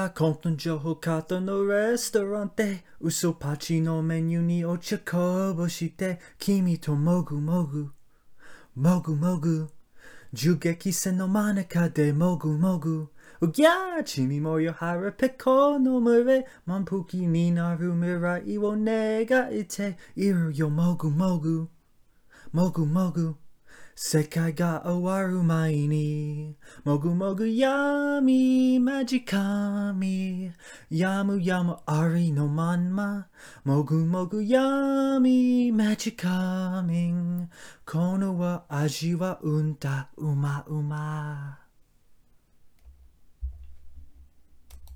混沌情報カートのレストランで嘘パチのメニューにお茶こぼして君ともぐもぐもぐもぐ銃撃戦の真ん中でもぐもぐうぎゃー君もよ腹ペコの群れ満腹になる未来を願いているよもぐもぐもぐもぐ世界が終わる前にもぐもぐ闇マジ神やむやむありのまんまもぐもぐ闇マジ神この味はうんだうまうま